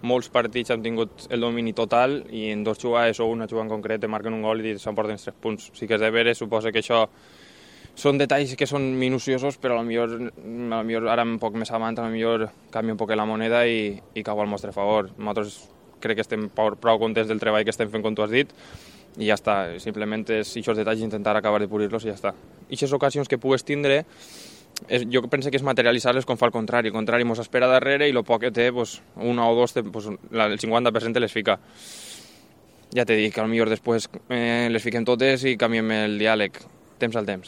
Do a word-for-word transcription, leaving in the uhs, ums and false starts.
molts partits hem tingut el domini total i en dos jugades o una jugada en concret te marquen un gol i s'emporten tres punts. Sí que és de veure, suposa que això són detalls que són minuciosos, però potser ara un poc més avant, potser canvia un poc la moneda i, i cau al nostre favor. Nosaltres crec que estem prou contents del treball que estem fent, com tu has dit, i ja està. Simplement és aquests detalls intentar acabar de pulir-los i ja està. I aquestes ocasions que pugues tindre, és, jo penso que és materialitzar-les com fa el contrari. El contrari ens espera darrere i el poc que té, pues, una o dos, pues, el cinquanta per cent les fica. Ja t'he dit que potser després eh, les fiquem totes i canviem el diàleg. Temps al temps.